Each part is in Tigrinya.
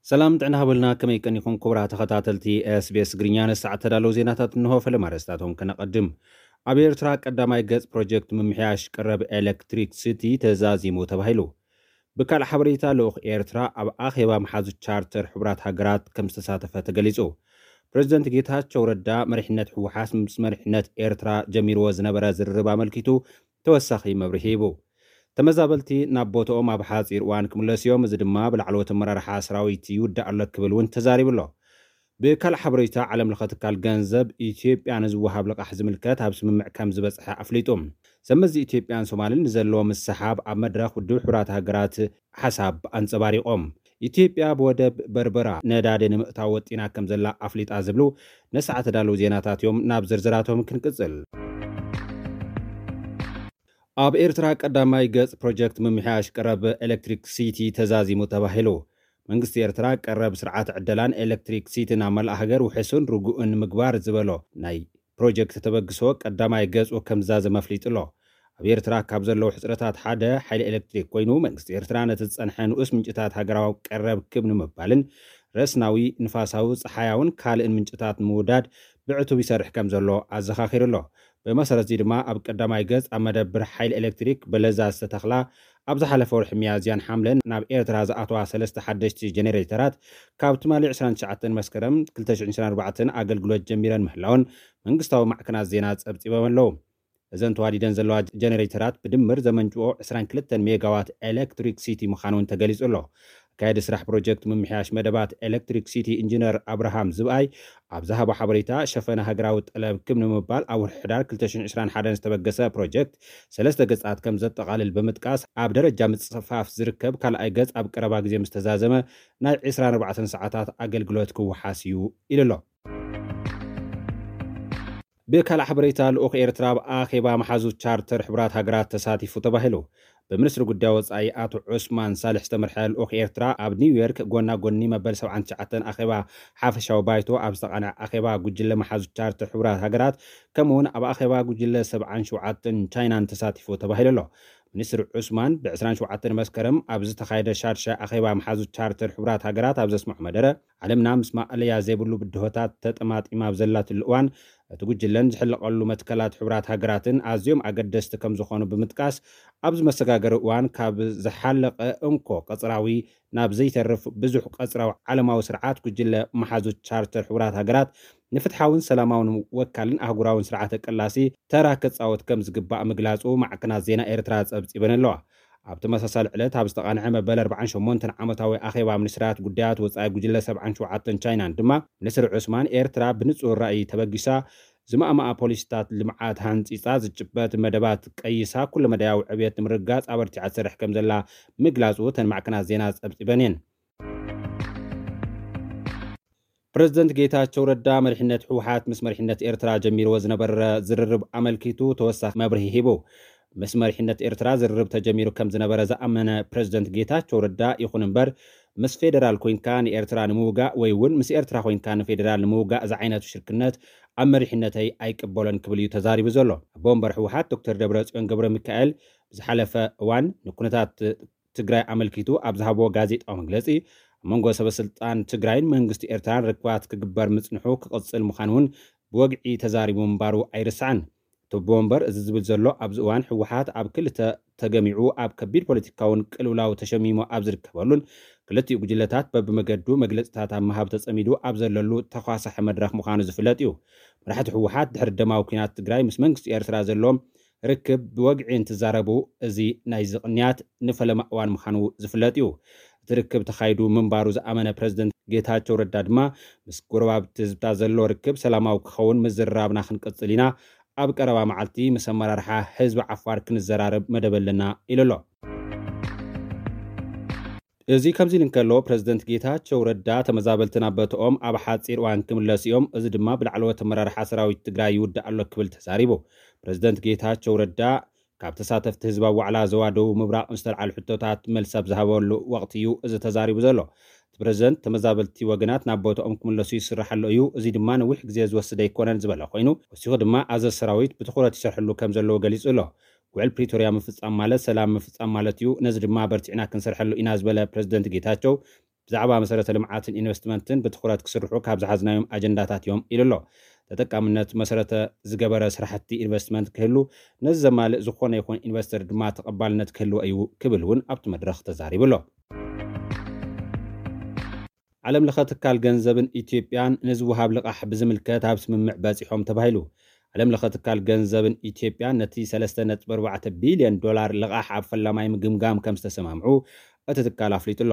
ሰላም ጥዕና ሃበልና፣ ከመይ ቀኒኹም ክቡራት ተኸታተልቲ ኤስቢኤስ ትግርኛ? ንሰዓት ተዳለዉ ዜናታት እንሆ። ፈለማ ኣርእስታቶም ከነቐድም። ኣብ ኤርትራ ቀዳማይ ገጽ ፕሮጀክት ምምሕያሽ ቀረብ ኤሌክትሪክ ሲቲ ተዛዚሙ ተባሂሉ። ብካልእ ሓበሬታ፣ ልኡኽ ኤርትራ ኣብ ኣኼባ መሓዙት ቻርተር ሕቡራት ሃገራት ከም ዝተሳተፈ ተገሊጹ። ፕረዚደንት ጌታቸው ረዳ መሪሕነት ህወሓት ምስ መሪሕነት ኤርትራ ጀሚርዎ ዝነበረ ዝርርብ ኣመልኪቱ ተወሳኺ መብርሂ ሂቡ። ተመዛበልቲ ናብ ቦታኦም ኣብ ሓጺር እዋን ክምለሱ እዮም፣ እዚ ድማ ብላዕለዎት ኣመራርሓ ሰራዊት ይውዳእ ኣሎ ክብል እውን ተዛሪቡ ኣሎ። ብካልእ ሓበሬታ፣ ዓለም ለኸ ትካል ገንዘብ ኢትዮጵያ ንዝወሃብ ልቓሕ ዝምልከት ኣብ ስምምዕ ከም ዝበጽሐ ኣፍሊጡ። ሰብ መዚ ኢትዮጵያን ሶማልን ንዘለዎ ምስሓብ ኣብ መድረኽ ውድብ ሕቡራት ሃገራት ሓሳብ ኣንጸባሪቖም። ኢትዮጵያ ብወደብ በርበራ ነዳዲ ንምእታው ወጢና ከም ዘላ ኣፍሊጣ ዝብሉ ነሰዓት ተዳለዉ ዜናታት እዮም። ናብ ዝርዝራቶም ክንቅጽል። ኣብ ኤርትራ ቀዳማይ ገጽ ፕሮጀክት ምምሕያሽ ቀረብ ኤሌክትሪክ ሲቲ ተዛዚሙ ተባሂሉ። መንግስቲ ኤርትራ ቀረብ ስርዓት ዕደላን ኤሌክትሪክ ሲቲን ኣብ መላእ ሃገር ውሕሱን ርጉእን ምግባር ዝበሎ ናይ ፕሮጀክት ተበግሶ ቀዳማይ ገጹ ከም ዝዛዘመ ኣፍሊጡ ኣሎ። ኣብ ኤርትራ ካብ ዘለዉ ሕጽረታት ሓደ ሓይሊ ኤሌክትሪክ ኮይኑ፣ መንግስቲ ኤርትራ ነቲ ዝጸንሐ ንኡስ ምንጭታት ሃገራዊ ቀረብ ክብ ንምባልን ረስናዊ፣ ንፋሳዊ፣ ጸሓያውን ካልእን ምንጭታት ንምውዳድ ብዕቱብ ይሰርሕ ከም ዘሎ ኣዘኻኺሩ ኣሎ። ብመሰረት እዚ ድማ ኣብ ቀዳማይ ገጽ ኣብ መደብር ሓይሊ ኤሌክትሪክ በለዛ ዝተተኽላ ኣብ ዝሓለፈ ወርሒ ሚያዝያን ሓምለን ናብ ኤርትራ ዝኣተዋ ሰለስተ ሓደሽቲ ጀኔሬተራት ካብ ትማሊ ዕስራን ትሽዓተን መስከረም ክልተ ሽሕን ዕስራን ኣርባዕተን ኣገልግሎት ጀሚረን ምህላወን መንግስታዊ ማዕከናት ዜና ጸብጺቦም ኣለዉ። እዘን ተዋዲደን ዘለዋ ጀነሬተራት ብድምር ዘመንጭኦ ዕስራን ክልተን ሜጋዋት ኤሌክትሪክ ሲቲ ምዃኑ እውን ተገሊጹ ኣሎ። ኣካየዲ ስራሕ ፕሮጀክት ምምሕያሽ መደባት ኤሌክትሪክ ሲቲ ኢንጂነር ኣብርሃም ዝብኣይ ኣብ ዝሃቦ ሓበሬታ፣ ሸፈነ ሃገራዊ ጠለብ ክብ ንምባል ኣብ ወርሒ ሕዳር ክልተ ሽሕን ዕስራን ሓደን ዝተበገሰ ፕሮጀክት ሰለስተ ገጻት ከም ዘጠቓልል ብምጥቃስ፣ ኣብ ደረጃ ምጽፋፍ ዝርከብ ካልኣይ ገጽ ኣብ ቀረባ ግዜ ምስ ተዛዘመ ናይ ዕስራን ኣርባዕተን ሰዓታት ኣገልግሎት ክወሓስ እዩ ኢሉ ኣሎ። ብካልእ ሓበሬታ፣ ልኡኽ ኤርትራ ኣብ ኣኼባ መሓዙት ቻርተር ሕቡራት ሃገራት ተሳቲፉ ተባሂሉ። ብሚኒስትሪ ጉዳይ ወጻኢ ኣቶ ዑስማን ሳልሕ ዝተመርሐ ልኡኽ ኤርትራ ኣብ ኒውዮርክ ጎና ጎኒ መበል ሰብዓን ትሽዓተን ኣኼባ ሓፈሻዊ ባይቶ ኣብ ዝተቓንዐ ኣኼባ ጉጅለ መሓዙት ቻርተር ሕቡራት ሃገራት፣ ከምኡ እውን ኣብ ኣኼባ ጉጅለ ሰብዓን ሸውዓተን ቻይናን ተሳቲፉ ተባሂሉ ኣሎ። ሚኒስትር ዑስማን ብ ዕስራን ሸውዓተን መስከረም ኣብ ዝተኻየደ ሻድሻይ ኣኼባ መሓዙት ቻርተር ሕቡራት ሃገራት ኣብ ዘስምዖ መደረ፣ ዓለምና ምስ ማእለያ ዘይብሉ ብድሆታት ተጠማጢማ ኣብ ዘላትሉ እዋን፣ እቲ ጉጅለን ዝሕለቐሉ መትከላት ሕቡራት ሃገራትን ኣዝዮም ኣገደስቲ ከም ዝኾኑ ብምጥቃስ፣ ኣብዚ መሰጋገሪ እዋን ካብ ዝሓለቐ እንኮ ቀጽራዊ ናብ ዘይተርፍ ብዙሕ ቀጽራዊ ዓለማዊ ስርዓት ጉጅለ መሓዙት ቻርተር ሕቡራት ሃገራት ንፍትሓውን ሰላማውን ወካልን ኣህጉራውን ስርዓተ ቅላሲ ተራ ክጻወት ከም ዝግባእ ምግላጹ ማዕከናት ዜና ኤርትራ ጸብጺበን ኣለዋ። ኣብ ተመሳሳሊ ዕለት ኣብ ዝተቓንዐ መበል ኣርባዓን ሸሞንተን ዓመታዊ ኣኼባ ሚኒስትራት ጉዳያት ወጻኢ ጉጅለ ሰብዓን ሸውዓተን ቻይናን ድማ፣ ሚኒስትር ዑስማን፣ ኤርትራ ብንጹር ራእይ ተበጊሳ፣ ዝማእማኣ ፖሊሲታት ልምዓት ሃንጺጻ፣ ዝጭበጥ መደባት ቀይሳ፣ ኩለመዳያዊ ዕብየት ንምርግጋጽ ኣበርቲዓ ትሰርሕ ከም ዘላ ምግላጹ እተን ማዕከናት ዜና ጸብጺበን እየን። ፕረዚደንት ጌታቸው ረዳ መሪሕነት ህወሓት ምስ መሪሕነት ኤርትራ ጀሚርዎ ዝነበረ ዝርርብ ኣመልኪቱ ተወሳኺ መብርሂ ሂቡ። ምስ መሪሕነት ኤርትራ ዝርርብ ተጀሚሩ ከም ዝነበረ ዝኣመነ ፕረዚደንት ጌታቸው ረዳ፣ ይኹን እምበር፣ ምስ ፌደራል ኮይንካ ንኤርትራ ንምውጋእ ወይ እውን ምስ ኤርትራ ኮይንካ ንፌደራል ንምውጋእ ዝዓይነቱ ሽርክነት ኣብ መሪሕነተይ ኣይቅበሎን ክብል እዩ ተዛሪቡ ዘሎ። ኣቦ ወንበር ህወሓት ዶክተር ደብረጽዮን ገብረ ሚካኤል ብዝሓለፈ እዋን ንኩነታት ትግራይ ኣመልኪቱ ኣብ ዝሃብዎ ጋዜጣዊ መግለጺ፣ ኣብ መንጎ ሰበስልጣን ትግራይን መንግስቲ ኤርትራን ርክባት ክግበር ምጽንሑ ክቕጽል ምዃኑ እውን ብወግዒ ተዛሪቡ ምንባሩ ኣይርሳዕን። እቲ ኣቦ ወንበር እዚ ዝብል ዘሎ ኣብዚ እዋን ህወሓት ኣብ ክልተ ተገሚዑ ኣብ ከቢድ ፖለቲካውን ቅልውላው ተሸሚሙ ኣብ ዝርከበሉን ክልቲኡ ጉጅለታት በብመገዱ መግለጽታት ኣብ ምሃብ ተጸሚዱ ኣብ ዘለሉ ተኳሳሒ መድረኽ ምዃኑ ዝፍለጥ እዩ። መራሕቲ ህወሓት ድሕሪ ደማዊ ኲናት ትግራይ ምስ መንግስቲ ኤርትራ ዘለዎም ርክብ ብወግዒ እንትዛረቡ፣ እዚ ናይዚ ቅንያት ንፈለማ እዋን ምዃኑ ዝፍለጥ እዩ። እቲ ርክብ ተኻይዱ ምንባሩ ዝኣመነ ፕረዚደንት ጌታቸው ረዳ ድማ፣ ምስ ጎረባብቲ ህዝብታት ዘሎ ርክብ ሰላማዊ ክኸውን ምዝርራብና ክንቅጽል ኢና፣ ኣብ ቀረባ መዓልቲ ምስ ኣመራርሓ ህዝቢ ዓፋር ክንዘራረብ መደብ ኣለና ኢሉ ኣሎ። እዚ ከምዚ ኢሉ እንከሎ፣ ፕረዚደንት ጌታቸው ረዳ ተመዛበልቲ ናብ ቦታኦም ኣብ ሓጺር እዋን ክምለሱ እዮም፣ እዚ ድማ ብላዕለዎት ኣመራርሓ ሰራዊት ትግራይ ይውዳእ ኣሎ ክብል ተዛሪቡ። ፕረዚደንት ጌታቸው ረዳ ካብ ተሳተፍቲ ህዝባዊ ዋዕላ ዞባ ደቡብ ምብራቕ ንዝተልዓሉ ሕቶታት መልሲ ኣብ ዝሃበሉ ወቕቲ እዩ እዚ ተዛሪቡ ዘሎ። እቲ ፕረዚደንት፣ ተመዛበልቲ ወገናት ናብ ቦታኦም ክምለሱ ይስራሕ ኣሎ እዩ፣ እዚ ድማ ነዊሕ ግዜ ዝወስድ ኣይኮነን ዝበለ ኮይኑ፣ ወሲኹ ድማ ኣዘዝ ሰራዊት ብትኹረት ይሰርሐሉ ከም ዘለዎ ገሊጹ ኣሎ። ውዕል ፕሪቶርያ ምፍጻም ማለት ሰላም ምፍጻም ማለት እዩ፣ ነዚ ድማ በርቲዕና ክንሰርሐሉ ኢና ዝበለ ፕረዚደንት ጌታቸው፣ ብዛዕባ መሰረተ ልምዓትን ኢንቨስትመንትን ብትኹረት ክስርሑ ካብ ዝሓዝናዮም ኣጀንዳታት እዮም ኢሉ ኣሎ። ተጠቃምነት መሰረተ ዝገበረ ስራሕቲ ኢንቨስትመንት ክህሉ፣ ነዚ ዘማልእ ዝኾነ ይኹን ኢንቨስተር ድማ ተቐባልነት ክህልዎ እዩ ክብል እውን ኣብቲ መድረኽ ተዛሪቡ ኣሎ። ዓለም ለኸ ትካል ገንዘብን ኢትዮጵያን ንዝወሃብ ልቓሕ ብዝምልከት ኣብ ስምምዕ በፂሖም ተባሂሉ። ዓለም ለኸ ትካል ገንዘብን ኢትዮጵያን ነቲ ሰለስተ ነጥቢ ኣርባዕተ ቢልዮን ዶላር ልቓሕ ኣብ ፈላማይ ምግምጋም ከም ዝተሰማምዑ እቲ ትካል ኣፍሊጡ ኣሎ።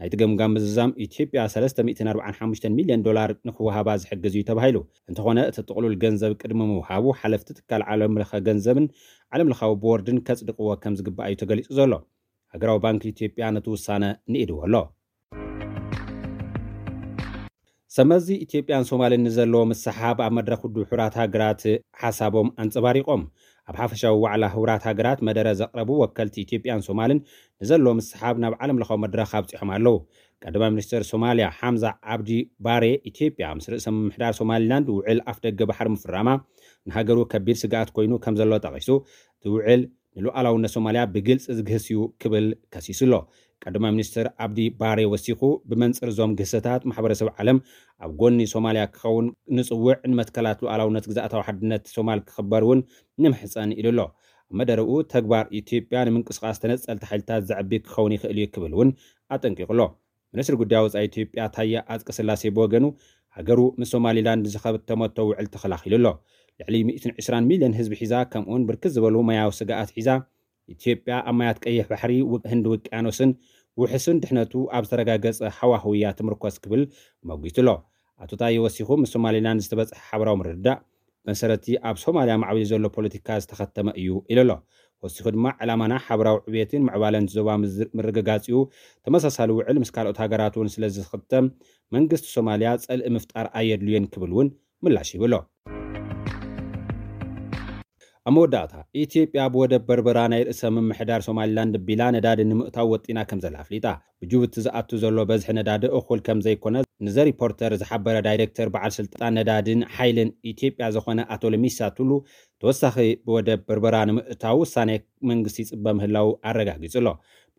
ናይቲ ገምጋም ምዝዛም ኢትዮጵያ ሰለስተ ሚእትን ኣርባዓን ሓሙሽተን ሚልዮን ዶላር ንክወሃባ ዝሕግዝ እዩ ተባሂሉ። እንተኾነ እቲ ጥቕሉል ገንዘብ ቅድሚ ምውሃቡ ሓለፍቲ ትካል ዓለም ለኸ ገንዘብን ዓለም ለኻዊ ቦርድን ከጽድቕዎ ከም ዝግባእ እዩ ተገሊጹ ዘሎ። ሃገራዊ ባንክ ኢትዮጵያ ነቲ ውሳነ ንኢድዎ ኣሎ። ሰመዚ ኢትዮጵያን ሶማልን ንዘለዎ ምስሓብ ኣብ መድረኽ ውድብ ሕቡራት ሃገራት ሓሳቦም ኣንጸባሪቖም። ኣብ ሓፈሻዊ ዋዕላ ሕቡራት ሃገራት መደረ ዘቕረቡ ወከልቲ ኢትዮጵያን ሶማልን ንዘለዎ ምስሓብ ናብ ዓለም ለኻዊ መድረኽ ኣብጺሖም ኣለዉ። ቀዳማይ ሚኒስትር ሶማልያ ሓምዛ ዓብዲ ባሬ ኢትዮጵያ ምስ ርእሰ ምምሕዳር ሶማሊላንድ ውዕል ኣፍደገ ባሕሪ ምፍራማ ንሃገሩ ከቢድ ስግኣት ኮይኑ ከም ዘሎ ጠቒሱ፣ እቲ ውዕል ንሉዓላውነት ሶማልያ ብግልፂ ዝግህስ እዩ ክብል ከሲሱ ኣሎ። ቀዳማይ ሚኒስትር ዓብዲ ባሬ ወሲኹ፣ ብመንፅር እዞም ግህሰታት ማሕበረሰብ ዓለም ኣብ ጎኒ ሶማልያ ክኸውን ንፅውዕ፣ ንመትከላት ሉዓላውነት ግዝኣታዊ ሓድነት ሶማል ክኽበር እውን ንምሕፀን ኢሉ ኣሎ። ኣብ መደረኡ ተግባር ኢትዮጵያ ንምንቅስቓስ ተነፀልቲ ሓይልታት ዘዕቢ ክኸውን ይኽእል እዩ ክብል እውን ኣጠንቂቑ ኣሎ። ሚኒስትሪ ጉዳይ ወፃኢ ኢትዮጵያ ታየ ኣፅቀስላሴ ብወገኑ፣ ሃገሩ ምስ ሶማሊላንድ ዝኸተመቶ ውዕል ተኸላኺሉ ኣሎ። ልዕሊ ሚእትን ዕስራን ሚልዮን ህዝቢ ሒዛ፣ ከምኡውን ብርክት ዝበሉ ማያዊ ስግኣት ሒዛ፣ ኢትዮጵያ ኣብ ማያት ቀይሕ ባሕሪ፣ ው-፣ ህንዲ ውቅያኖስን ውሕስን ድሕነቱ ኣብ ዝተረጋገጸ ሃዋህው እያ ትምርኮስ ክብል መጒቱ ኣሎ። ኣቶ ታየ ወሲኹ፣ ምስ ሶማሊላንድ ዝተበጽሐ ሓበራዊ ምርድዳእ መሰረቲ ኣብ ሶማልያ ማዕቢሉ ዘሎ ፖለቲካ ዝተኸተመ እዩ ኢሉ ኣሎ። ወሲኹ ድማ፣ ዕላማና ሓበራዊ ዕብየትን ምዕባለን ዞባ ምዝ-፣ ምርግጋጽ እዩ። ተመሳሳሊ ውዕል ምስ ካልኦት ሃገራት እውን ስለ ዝኽተም፣ መንግስቲ ሶማልያ ጸልኢ ምፍጣር ኣየድልዮን ክብል እውን ምላሽ ይብሎ። ኣብ መወዳእታ፣ ኢትዮጵያ ብወደብ በርበራ ናይ ርእሰ ምምሕዳር ሶማሊላንድ ቢላ ነዳዲ ንምእታው ወጢና ከም ዘላ ኣፍሊጣ። ብጅቡቲ ዝኣቱ ዘሎ በዝሒ ነዳዲ እኹል ከም ዘይኮነ ንዘ ሪፖርተር ዝሓበረ ዳይሬክተር በዓል ስልጣን ነዳድን ሓይልን ኢትዮጵያ ዝኾነ ኣቶ ለሚሳ ቱሉ፣ ተወሳኺ ብወደብ በርበራ ንምእታው ውሳኔ መንግስቲ ይጽበ ምህላው ኣረጋጊጹ ኣሎ።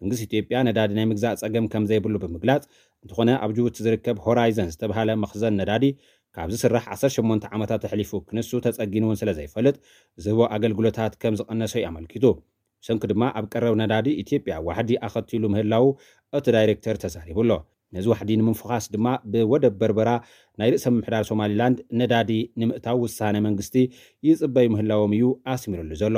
መንግስቲ ኢትዮጵያ ነዳዲ ናይ ምግዛእ ጸገም ከም ዘይብሉ ብምግላጽ፣ እንተኾነ ኣብ ጅቡቲ ዝርከብ ሆራይዘን ዝተባህለ መኽዘን ነዳዲ ካብ ዝስራሕ ዓሰርተ ሸሞንተ ዓመታት ኣሕሊፉ ክንሱ ተጸጊኑ እውን ስለ ዘይፈልጥ፣ ዝህቦ ኣገልግሎታት ከም ዝቐነሰ እዩ ኣመልኪቱ። ብሰንኪ ድማ ኣብ ቀረብ ነዳዲ ኢትዮጵያ ዋሕዲ ኣኸቲሉ ምህላው እቲ ዳይሬክተር ተዛሪቡ ኣሎ። ነዚ ዋሕዲ ንምፍዃስ ድማ ብወደብ በርበራ ናይ ርእሰ ምምሕዳር ሶማሊላንድ ነዳዲ ንምእታው ውሳነ መንግስቲ ይጽበዩ ምህላዎም እዩ ኣስሚሩሉ ዘሎ።